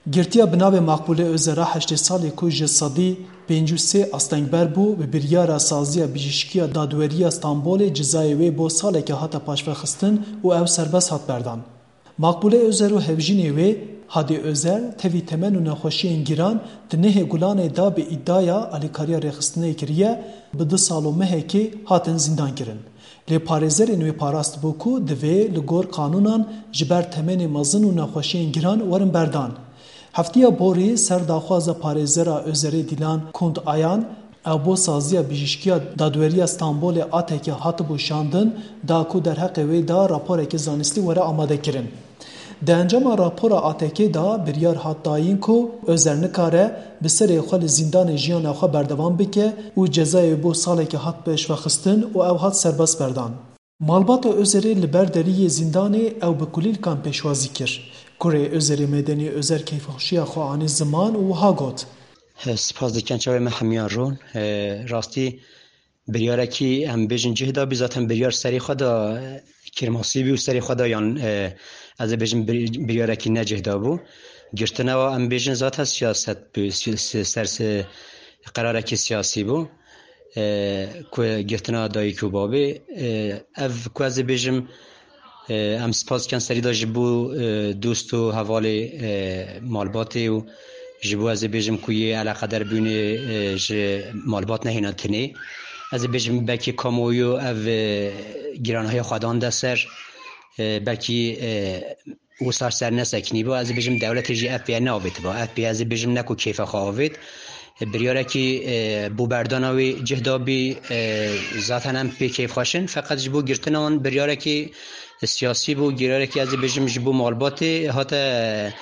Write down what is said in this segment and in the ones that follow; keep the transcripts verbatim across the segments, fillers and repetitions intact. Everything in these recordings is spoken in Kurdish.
Girtiya bi navê Makbûle Ozera heştê salî ku ji sedî pêncî û sê astengber bû, bi biryara saziya bijîşkiya dadweriya Stenbolê cezayê wê bo saleke hate paşvexistin û ew serbest hat berdan. Makbûle Ozer û hevjînê wê, Hadî Ozer, tevî temen û nexweşiyên giran di nehê Gulanê de bi îdiaya alîkariya rêxistinê kiriye, bi du sal û mehekê hatin zîndan kirin. Lê parêzerên wê parastibû ku divê li gor qanûnan ji ber temenê mezin û nexweşiyên giran werin berdan. Heftiya borî ser daxwaza parêzera Ozerê Dîlan Kund Ayan, ew bo saziya bijîşkiya dadweriya Stenbolê ATKê hatibû şandin, da ku derheqê wê de raporekî zanistî were amadekirin. Di encama rapora ATKê de biryar hat dayîn ku Ozer nikare bi serê xwe li zîndanê jiyana xwe berdewam bike û cezayê bo salekê hat pêşvexistin û ew hat serbest berdan. Malbata Ozerê li ber deriyê zîndanê ew bi kulîlkan pêşwazî kir. Kurê Ozerê Medenî Ozer keyfxweşiya xwe anî ziman û wiha got. Spas dikin çavê me hemiyan rûn. Rastî biryarekî em bêjin cih da bî, zaten biryar serê xwe da, kêrmasî bî û serê xwe da yan, ez ê bêjim bir-, biryarekî necih da bû. Girtina wa em bêjin zaten siyaset bû, si-, si-, ser si-, qerarekî siyasî bû. E, ku girtina dayik û babê, e, ev ku ez ê bêjim, e, em spas dikin serî de ji bo, e, dost û hevalê, e, malbatê û ji bo ez ê bêjim ku yê eleqeder bûnê, e, ji malbat nehêna tinê. Ez ê bêjim belkî kamuoyu ev, e, giranahiya xwe dan de ser, e, belkî, e, wisa ser nesekinî bo, ez ê bêjim dewletê jî ev pê neavêtiba. Ev pê ez ê bêjim ne ku kêfa xwe avêt. Biryarekî, e, bo berdana wê cih da bî, e, zaten em pê kêfxweş in. Feqet ji bo girtina wan biryarekî siyasî bû, giryarekî ez ê bêjim ji bo malbatê hate,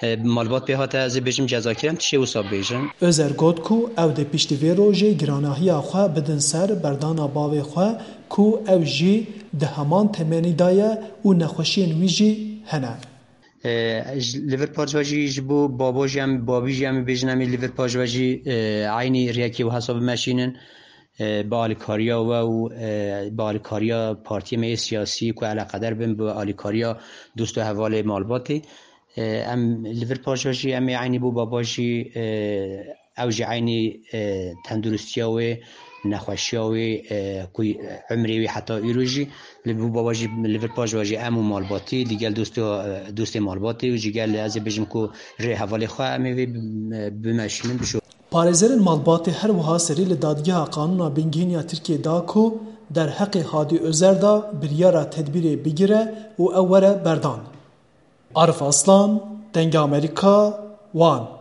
e, malbat pê hate ez ê bêjim cezakir, em tiştê wisa bêjin. Ozer got ku ew dê piştî vê rojê giranahiya xwe bidin ser berdana bavê xwe ku ew jî di heman temenî de ye û nexweşiyên wî jî hene. E, ji, li vir paşva jî ji bo baba jî em, babî jî em ê bêjin, em ê li vir paşva jî, e, eynî rêyekê û hesabê meşînin, e, bi alîkariya we û, e, bi alîkariya partiyê me yê siyasî ku eleqeder bin, bi alîkariya dost û hevalê malbatê. E, em li vir paşva jî em ê eynî bo baba jî, e, ew jî eynî, e, tenduristiya wê, nexweşiya wê, e, ku emrê wê heta îro jî li bo baba jî li vir paşva jî em û malbatî, digel dostê, e, dostê malbatê û ji gel ez ê bêjim ku rê hevalê xwe em ê vê bi-, bimeşînin bişo. Parêzerên malbatê her wiha serî li Dadgeha Qanûna Bingehîn ya Tirkiyê da ku derheqê Hadî Ozer da biryara tedbîrê bigire û ew were berdan. Arif Aslan, Dengê Amerîka, Wan.